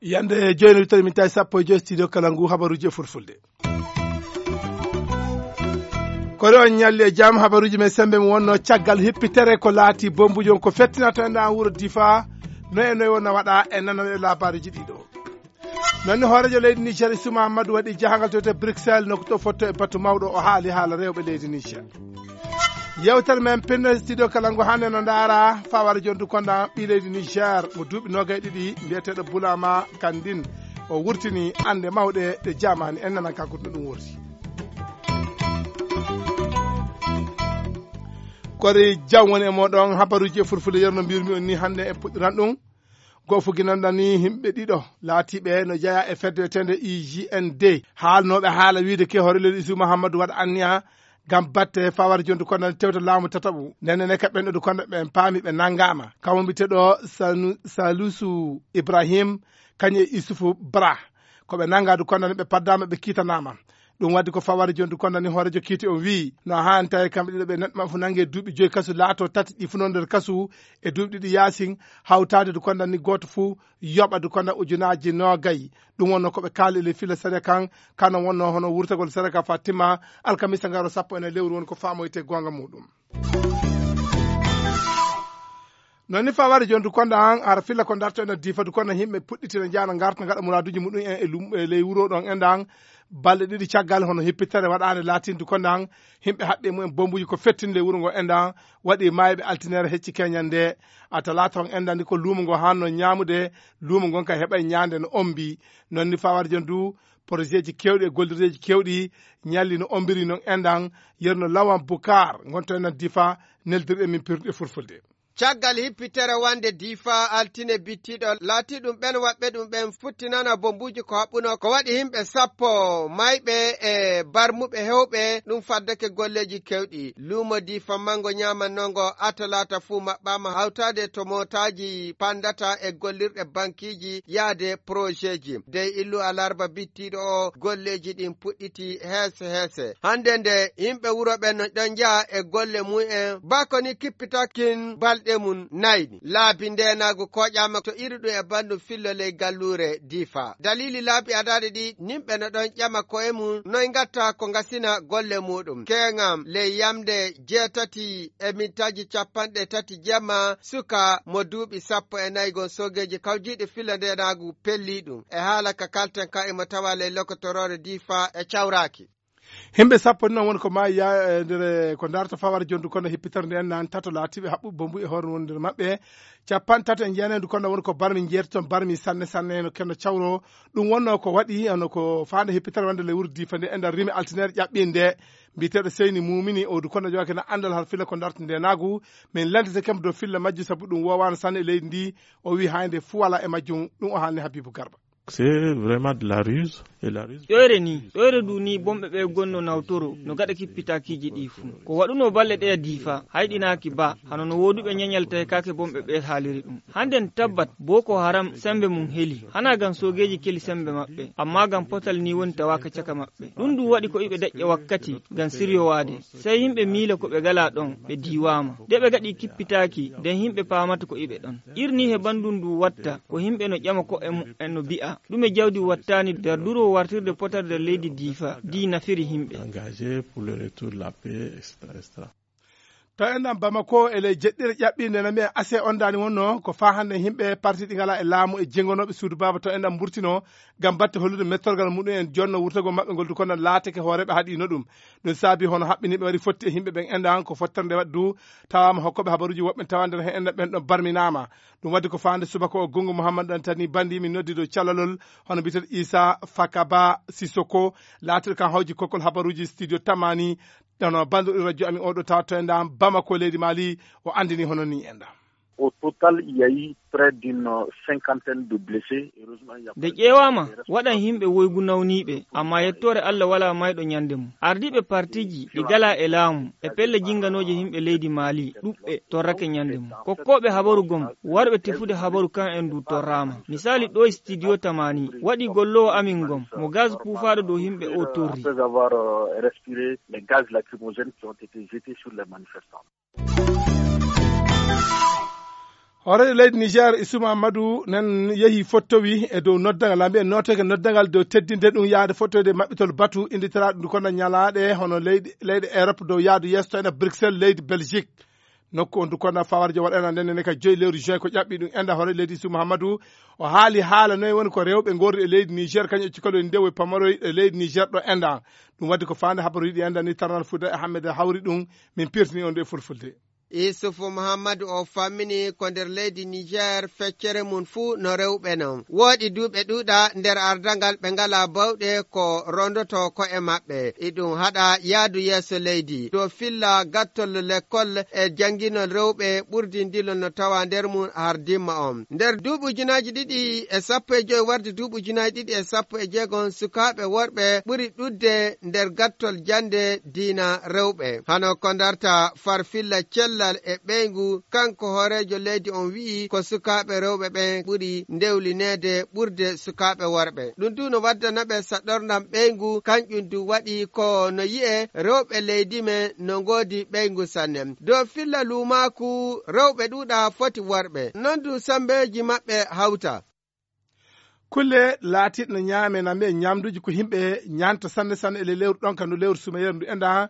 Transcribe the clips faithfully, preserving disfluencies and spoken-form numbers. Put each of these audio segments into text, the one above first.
Yande jooni wittere min tawi sappo e joy studio kala ngu habaruji e fulfulde. Kori on ñalli e jam, habaruji men sembe mo wonno caggal hippitere ko laati bombuji on ko fettinata en ɗan wuro Difa. No e noy wonna waɗa e nana e labaruji ɗiɗo. Nonni hoorejo leydi Niger Issoufou Mahamadou waɗi jahangal to te Bruxelles, nokku to fotto e batu mawɗo, o haali haala rewɓe leydi Niger. Yewtere men pinno studio kala ngu hannde no ndaara fawara jondu konda ɓi leydi Niger mo duuɓi nogay ɗiɗi mbiyeteɗo Bulama Kandin. O wurtini ande mawɗe ɗe jamani en nana kanko no ɗum wurti. Kori jam woni e moɗon, habaruji e fulfulde yerno mbirmi on ni hannde e puɗɗiran ɗum. Goo fu ginanɗa ni himɓe ɗiɗo laatiɓe no jeya e fedde wiyetende I G N D. Haalnooɓe haala wiide ke hoore leydi Isu Mahammadu waɗa anniya ngam batte fawar jondu konda tewta laamu tataɓu. Nene ne ka ɓen ɗo du konda ɓen paami ɓe nangama. Kamo mbiteɗo Sanu-, Salusu Ibrahim, kañum e Isufu Bra. Ko ɓe nanga du konda ni ɓe paddama ɓe kiitanama. Ɗum waddi ko fawar jondu konda ni hoorejo kiiti on wii, no haani tawi kamɓe ɗiɗo ɓe neɗɗo maɓɓe fu nange duuɓi joyi kasu laato tati ɗi fu non nder kasu e duuɓi ɗiɗi yaasin, hawtaade du konda ni gooto fu yoɓa du konda ujunaji nogayi. Ɗum wonno ko ɓe kaali e ley filla sariya kan, kano wonno hono wurtagol sariya kan fa timma, alkamisa ngaro sappo e nayi lewru woni ko famoyte gonga muɗum. Non ni fawari jondu konda an, ara filla ko darto ena difa du konda himɓe puɗɗitina jaana ngarta ngaɗa muraduji muɗum en e lum-, e ley wuro ɗon endan. Balɗe ɗiɗi caggal hono hippitere waɗande latindu konda an, himɓe haɓɓe mumen bombuji ko fettinde wuro ngo endan, waɗi mayɓe altinere hecci keñande. A talata on endan ko luumo ngo hanno ñaamude, luumo ngon ka heɓay ñaande no ombi. Non ni fawari jondu, projet ji kewɗi e gollirdeji kewɗi ñalli no ombiri non endan, yerno Lawan Bukar, ngonto enen difa, neldirɗe min pirɗe fulfulde. Caggal hippitere wande difa altine bittiɗo, laati ɗum ɓen waɓɓe ɗum ɓen futtinana bombuji ko haɓɓuno ko waɗi himɓe sappo mayɓe e barmuɓe hewɓe, ɗum faddake golleji kewɗi. Luumo difa mango ñaamannongo atalata fuu maɓɓama hawtaade to mootaaji pandata e gollirɗe bankiji yaade projetji. Dey illu alarba bittiɗo o golleji ɗin puɗɗiti heese heese. Hande nde yimɓe wuro ɓen no ɗon njaha e golle mumen, bako ni kippitakin balɗe mum nayni. Laabi ndenagu koƴama to iri ɗum e banndum fillo ley galluure difa. Dalili laabi adaade ɗi, yimɓe no ɗon ƴama koye mum noy ngatta ko ngasina golle muɗum. Keŋam ley yamde jeetati e mintaji capanɗe tati jemma, suka mo duuɓi sappo e nayi gon soogeeji kawjiiɗi filla ndenaagu pelli ɗum. E haala ka kalten ka imo tawa ley lokotoroore difa e cawraaki. Himɓe sappo ni noon woni ko maayi ya-, e nder, e ko darta fawar jondu kono hippitere nde en nan tato laatiɓe haɓɓuɓe bombu e hoore woni nder maɓɓe. Capanɗe tato e jeenayi ndu kono woni ko barmi jeetato barmi sanne sanne no kenno cawro. Ɗum wonno ko waɗi, hono ko faande hippitere wonde ley wuro difa nde e nder rimi altinere ƴaɓɓinde. Mbiyeteeɗo Seyni Mumini, o du kono jogaaki na anndal har fila ko darta ndenaagu. Min lentete kam dow filla majjum sabu ɗum wowaano sanne e leydi ndi. O wi haynde fu wala e majjum. Ɗum o haalni Habibu Garba. C'est vraiment de la ruse. Et la ruse. Ƴoyre ni, ƴoyre du ni bomɓe ɓe gonno nawtoro no gaɗa kippitakiiji ɗi fu. Ko waɗuno balle ɗe difa, hayɗinaaki ba, hano no woduɓe ñañal tawi kaake bomɓe ɓe haaliri ɗum. Handen tabbat, Boko Haram sembe mum heli. Hana gam soogeeji keli sembe maɓɓe, amma gam potal ni woni tawaka caka maɓɓe. Ɗum ɗum waɗi ko iɓe daƴƴa wakkati gam siryowaade. Sey yimɓe miila ko ɓe gala ɗon, ɓe diiwaama. Nde ɓe gaɗi kippitaaki, nden yimɓe paamata ko iɓe ɗon. Irni he banndum ndu watta, ko yimɓe no ƴama ko'e mumen no bi'a, ɗume jawdi wattani nder duro wartirde potal nder leydi difa, di nafiri yimɓe. Engagé pour le retour de la paix, et cetera, et cetera. To enɗan Bamako e ley jeɗɗire ƴaɓɓinde no mbiyen ase on dani wonno, ko faa hannde yimɓe parti ɗi ngala e laamu e jengonooɓe suudu baaba to enɗan mburtino, ngam batte hollude mettorgal muɗum en jonno wurtagol maɓɓe ngol du kono laatake hooreeɓe haɗino ɗum. Ɗum saabi hono haɓɓiniiɓe wari fotti e yimɓe ɓen enɗan ko fottere nde waɗi du tawaama hokkooɓe habaruuji woɓɓe tawa nder heen enɗan ɓen ɗon barminaama. Ɗum waɗi ko faande subaka o Gungu Muhammad Dantani Bandi min noddi dow calalol hono mbiyeteeɗo Isa Fakaba Sisoko laatiiɗo kan hawji kokkol habaruuji studio Tamani. Ɗono banndo radio ami oɗo tawa to enɗan Bamako leydi Mali o anndini hono ni enɗan. Au total, il y a eu près d'une cinquantaine de blessés. Heureusement, il y a Nde pas eu de ƴeewaama, reste waɗan yimɓe woygu nawniiɓe, ammaa yettoore Allah walaa mayɗo ñande mum. Ardiiɓe partiiji ɗi galaa e laamu e pelle jinnganooje yimɓe leydi Mali ɗuɓɓe torrake ñande mum. Kokkooɓe habaru gom, warɓe tefude habaru kan en du torraama. Misaali ɗo e studio Tamani, waɗi golloowo amin gom, mo gaz puufaaɗo dow yimɓe o torri. Après avoir, euh, respiré les gaz lacrymogènes qui ont été jetés sur les manifestants. Hooreejo leydi Niger, Issoufou Mahamadou, nan yehi fottowi e dow noddagal, lambi en nooteke noddagal dow teddinde ɗum yahde fottoyde maɓɓitol batu, innditiraaɗo ndu kono ñalaaɗe hono leyɗe, leyɗe Europe dow yahdu yeeso to ena Bruxelles, leydi Belgique. Nokku on ndu kono fawarjo waɗana nden ne ka joyi lewru juin ko ƴaɓɓi ɗum enda hooreejo leydi Issoufou Mahamadou. O haali haala noye woni ko rewɓe ngorri e leydi Niger, kañum e cukalel ndewo e pamaroy e leydi Niger ɗo enda. Ɗum waddi ko faande habaruuji ɗi enda ni tarnal Fuuta e Ahmed Hawri ɗum, min pirtini on nde fulfulde. Isufu Muhammadu o fammini ko nder leydi Niger feccere mum fuu no rewɓe non. Wooɗi duuɓe ɗuuɗa nder ardangal ɓe ngalaa bawɗe ko rondoto ko'e maɓɓe. Iɗum haɗa yaadu yeeso leydi. Dow filla gattol lekkol e jannginol rewɓe ɓurdi ndilol no tawa nder mum har dimma on. Nder duuɓi ujunaaji ɗiɗi e sappo e joy warde duuɓi ujunaaji ɗiɗi e sappo e jeegom sukaaɓe worɓe ɓuri ɗuuɗde nder gattol jannde diina rewɓe. Hano ko darta farfilla cellal e ɓeyngu, kanko hooreejo leydi on wi'i ko sukaaɓe rewɓe ɓen ɓuri ndewlineede ɓurde sukaaɓe worɓe. Ɗum du no waddana ɓe saɗorndam ɓeyngu, kanƴum du waɗi ko no yi'e rewɓe leydi men no ngoodi ɓeyngu sanne. Dow filla luumaaku rewɓe ɗuuɗa foti worɓe. Non du sambeeji maɓɓe hawta. Kulle laatiiɗe no ñaame na mbiye ñamduuji ko yimɓe ñaanta sanne sanne e ley lewru ɗon ka no lewru sumayere ndu enda.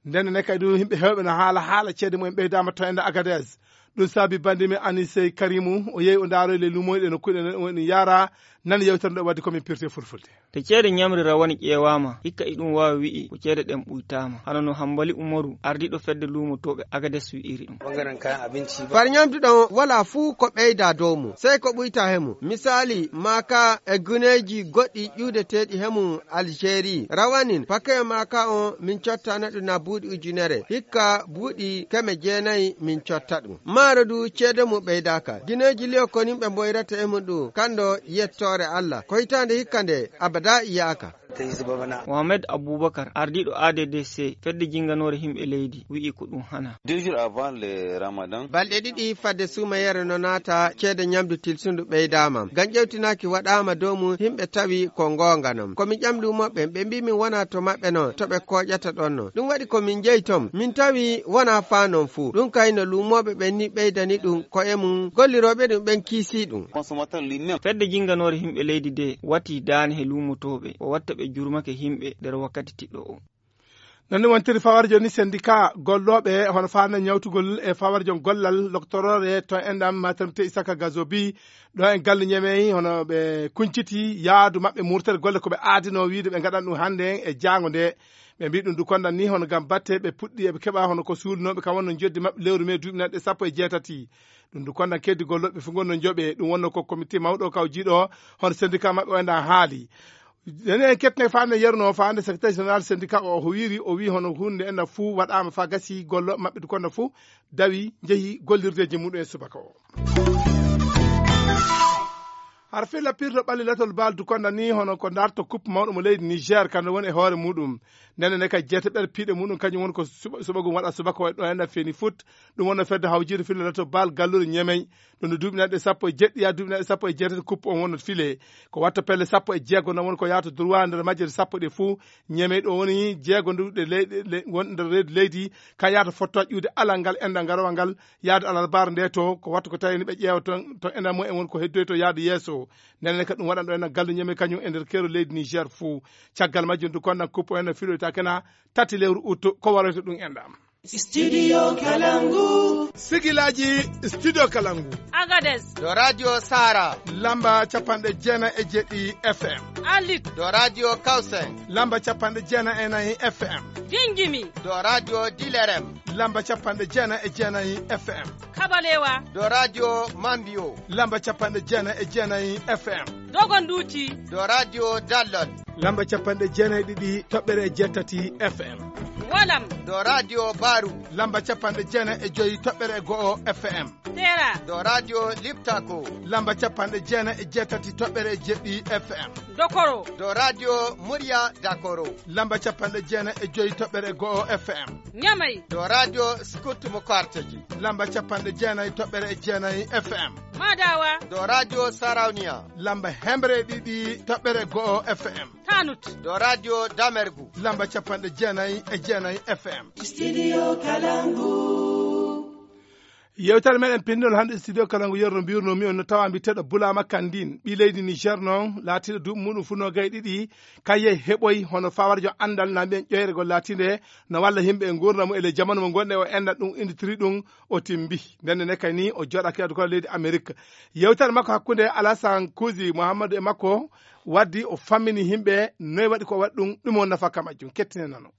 Nden ne kadi ɗum yimɓe heewɓe no haala haala ceede mumen ɓeydaama to enda Agadez. Ɗum saabi bandi men Anisey Karimu, o yehi o ndaaro e ley lumoyɗe no kuɗe no woni yaara, nan yewtere nde waddi ko min pirte fulfulde. To ceede ñamri rawani ƴeewaama, hikka iɗum waawi wi'i ko ceede ɗen ɓuytaama. Hano no Hambali Umaru, ardiiɗo fedde luumotooɓe Agadez wi'iri ɗum. Far ñamdu ɗon wala fuu ko ɓeyda dow mum, sey ko ɓuyta he mum. Misaali, maaka e guneeji goɗɗi ƴuudeteeɗi he mum Algérie. Rawanin, paquet maaka on min cottana ɗum na buuɗi ujunere. Hikka buuɗi keme jeenayi min cotta ɗum. Maaro du ceede mum ɓeydaaka. Gineeji liyo ko yimɓe mboyrata e mum ɗum, kando yettoore Allah. Ko hitaande hikka nde abada yiyaaka. Mohamed Abubakar, ardiiɗo A D D C, fedde jinganoore yimɓe leydi, wi'i ko ɗum hana. Deux jours avant le Ramadan. Balɗe ɗiɗi fadde suumayere no naata, ceede ñamdu tilsundu ɓeydaama. Ngam ƴewtinaaki waɗaama dow mum, yimɓe tawi ko ngoonga non. Ko min ƴami luumooɓe, ɓe mbii min wonaa to maɓɓe non, to ɓe kooƴata ɗon non. Ɗum waɗi ko min njehi ton, min tawi wonaa faa non fuu. Ɗum kay no luumooɓe ɓen ni ɓeydani ɗum ko'e mum, gollirooɓe ɗum ɓen kiisii ɗum. Fedde jinganoore yimɓe leydi de watii daane he luumotooɓe, o watta ɓe jurmake yimɓe nder wakkati tiɗɗo o. Non ni wontiri fawarjo ni sendika gollooɓe hono faande ñawtugol e fawarjo gollal loktoroore to enɗam maternité Isaka Gazobi ɗo en galle Ñemey hono ɓe kunciti yaadu maɓɓe murtere golle ko ɓe aadinoo wiide ɓe ngaɗan ɗum hannde e jaango nde. Ɓe mbii ɗum du kondan ni hono ngam batte ɓe puɗɗi eɓe keɓa hono ko suulnooɓe kam wonno joddi maɓɓe lewru mee duuɓi nanɗe sappo e jeetati. Ɗum du kondan keddi gollooɓe fof ngonno joɓe ɗum wonno ko comité mawɗo kaw jiiɗo hono syndicat maɓɓe o enɗan haali. Enen en kettine faande yerno faande secrétaire général syndicat o, o wiiri, o wii hono hunde ena fuu waɗaama faa gasi gollooɓe maɓɓe du konno fuu dawi njehi gollirdeeji muɗum e subaka o. Har filla pirto ɓalli latol baal du konno ni hono ko darto coupe mawɗo mo leydi Niger kan woni e hoore muɗum. Ndenne ne kay jeetaɓere piiɗe muɗum kañum woni ko suɓa-, suɓagum waɗa subaka o e ɗo enɗan feeni foot. Ɗum wonno fedde hawjiiɗo filla latol baal gallure Ñemey. Ɗum no duuɓi nanɗe sappo e jeɗɗi yaa duuɓi nanɗe sappo e jeetati coupe on wonno file. Ko watta pelle sappo e jeego noon woni ko yahata droit nder majje sappo ɗe fuu. Ñemey ɗo woni jeego ndu ɗe leyɗe le-, won nder reedu leydi. Ka yahata fotto ƴuude alal ngal enɗan ngarowal ngal yahde alarbaare nde to. Ko watta ko tawi ni ɓe ƴeewa toon to enɗan mumen woni ko heddoy to yahde yeeso. Ndenne kadi ɗum waɗan ɗo enɗan gallu Ñemey kañum e nder keero leydi Niger fuu. Caggal majjum du konɗan coupe o enɗan filoyta kena tati lewru août ko waroyta ɗum enɗan. Studio Kalangu. Sigilaaji Studio Kalangu. Agadez. Ɗo Radio Sara. Lamba capanɗe jeenayi e jeeɗiɗi F M. Arlit. Ɗo Radio Kawsay. Lamba capanɗe jeenayi e nayi F M. Gingimi. Ɗo Radio Dilerem. Lamba capanɗe jeenayi e jeenayi F M. Kabalewa. Ɗo Radio Mambio. Lamba capanɗe jeenayi e jeenayi F M. Dogonduuti. Ɗo Radio Dallol. Lamba capanɗe jeenayi e ɗiɗi toɓɓere jeetati F M. Walam. Dow Radio Baru. Lamba capanɗe jeenayi e joyi toɓɓere e go'o F M. Tera. Dow Radio Liptako. Lamba capanɗe jeenayi e jeetati toɓɓere e jeɗɗi F M. Dokoro. Dow Radio Murya Dakoro. Lamba capanɗe jeenayi e joyi toɓɓere e go'o F M. Nyamai. Dow Radio Scoot mo Kwarteji. Lamba capanɗe jeenayi toɓɓere e jeenayi F M. Madawa. Dow Radio Sarauniya. Lamba hemre e ɗiɗi toɓɓere e go'o F M. Tanut. Dow Radio Damergu. Lamba capanɗe jeenayi e jeenayi F M. Studio Kalangu. Yewtere meɗen pinndol hannde studio kala ngu yerno mbirno mi on no tawa mbi teɗo Bulama Kandin, ɓi leydi Niger noon, laatiɗo duuɓi muɗum fuɗnoo gay ɗiɗi, kaye heɓoy hono fawarjo anndal na mbiyen ƴoyregol laatinde no walla yimɓe e nguurndam mum e ley jamanu mo ngonɗen o enna ɗum inditiri ɗum o timbi. Ndenne ne kay ni o jooɗa kiyadu kono leydi Amerique. Yewtere makko hakkunde Alasan Kuusi Muhammadu e makko waddi o fammini yimɓe noy waɗi ko waɗi ɗum, ɗum o nafa ka majjum. Kettine nano.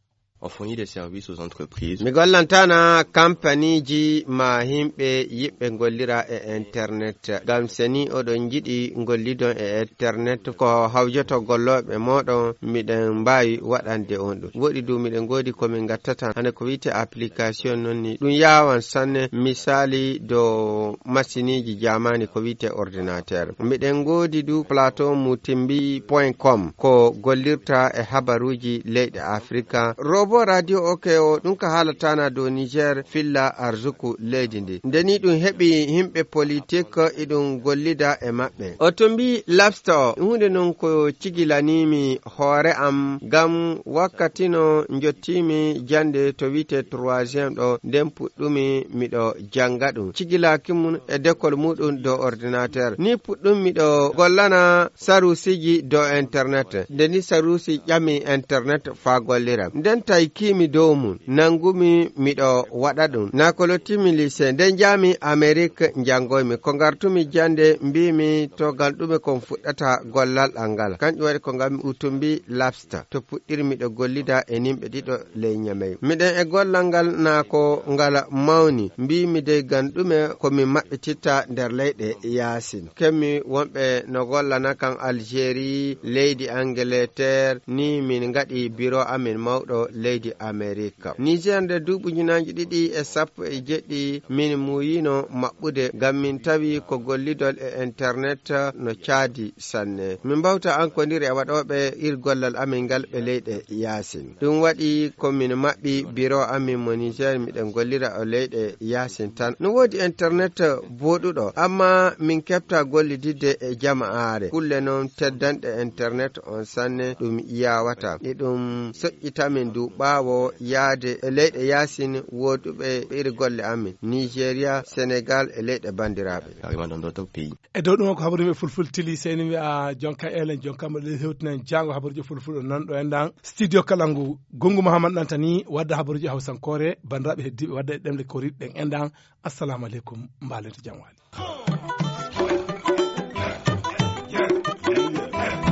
On fournit des services aux entreprises. Mi gollantana kampaniji ma himɓe yiɓɓe gollira e internet. Ngam seni oɗon jiɗi gollidon e internet ko hawjoto golloɓe moɗon miɗen mbawi waɗande on ɗum. Woɗi du miɗen godi ko min gattata hande ko wiite application non ni. Ɗum yawan sanne misali do masiniji jamani ko wiite ordinateur. Miɗen godi du plateau mutimbi point com ko gollirta e habaruji leyɗe Afrika. Robo Radio OK o ɗum ka haalatana dow Niger filla arzuku leydi ndi. Nde ni ɗum heɓi himɓe politik iɗum gollida e maɓɓe. O to mbi labsta o hunde non ko cigilanimi hoore am ngam wakkati no njottimi jande to wiite troisième ɗo nden puɗɗumi miɗo janga ɗum. Cigilaki mum e dekol muɗum dow ordinateur. Ni puɗɗum miɗo gollana sarusiji dow internet. Nde ni sarusi ƴami internet faa gollira. Nden tawi kiimi dow mum, nangumi miɗo waɗa ɗum. Na ko lottimi lycée, nden njaami Amerique njanngoymi. Ko ngartumi jannde, mbiimi to ngal ɗume kon fuɗɗata gollal ɗal ngal. Kanƴum waɗi ko ngammi utumbi labsta. To puɗɗiri miɗo gollida e nimɓe ɗiɗo ley Ñamey. Miɗen e gollal ngal na ko ngal mawni. Mbiimi dey ngam ɗume ko mi maɓɓititta nder leyɗe yaasin. Kemmi wonɓe no gollana kan Algérie, leydi Angleterre, ni min ngaɗi biro amin mawɗo leydi Amerika. Niger nde duuɓi ujunaaji ɗiɗi e sappo e jeɗɗi min muuyino maɓɓude ngam min tawi ko gollidol e internet no caadi sanne. Min mbawta ankodire e waɗooɓe ir gollal amin ngal ɓe leyɗe yaasin. Ɗum waɗi ko min maɓɓi biro amin mo Niger, miɗen gollira o leyɗe yaasin tan. No woodi internet booɗuɗo, amma min keɓta gollididde e jama'aare. Kulle noon teddanɗe internet on sanne ɗum yawata. E ɗum soƴƴitamin du ɓaawo yaade e leyɗe yaasin woduɓe iri golle amin, Nigeria, Senegal e leyɗe bandiraaɓe. Carrément dans d'autres pays. E dow ɗum ko habaru yimɓe fulfulde tili, seni wiya jonka elen, jonka mo le hewtinan jango habaruji fulfulde non ɗo endan. Studio kala ngu, Gungu Muhammad Dantani, wadda habaruji hawsankoore, bandiraaɓe heddiiɓe wadda e ɗemle koriɗe ɗen endan. Assalamu aleykum, mbaalente jam waali.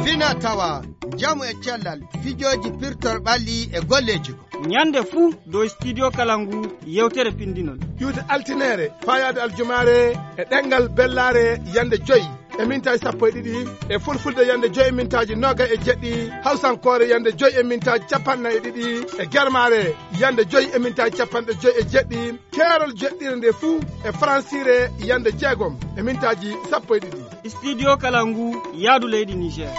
Fina tawa, njamu e cellal, fijooji pirtor ɓalli e golleeji. Ñande fuu dow studio kala ngu yewtere pindinol. Iwde altineere, faayaade aljumaare e ɗemngal bellaare yande joyi e mintaaji sappo e ɗiɗi, e fulfulde yande joyi e mintaaji noogay e jeɗɗi, hawsankoore yande joyi e mintaaji capanɗe nayi e ɗiɗi, e germaare yande joyi e mintaaji capanɗe joyi e jeɗɗi, keerol joɗɗire nde fuu e faransiire yande jeegom e mintaaji sappo e ɗiɗi. Studio kala ngu yaadu leydi Niger.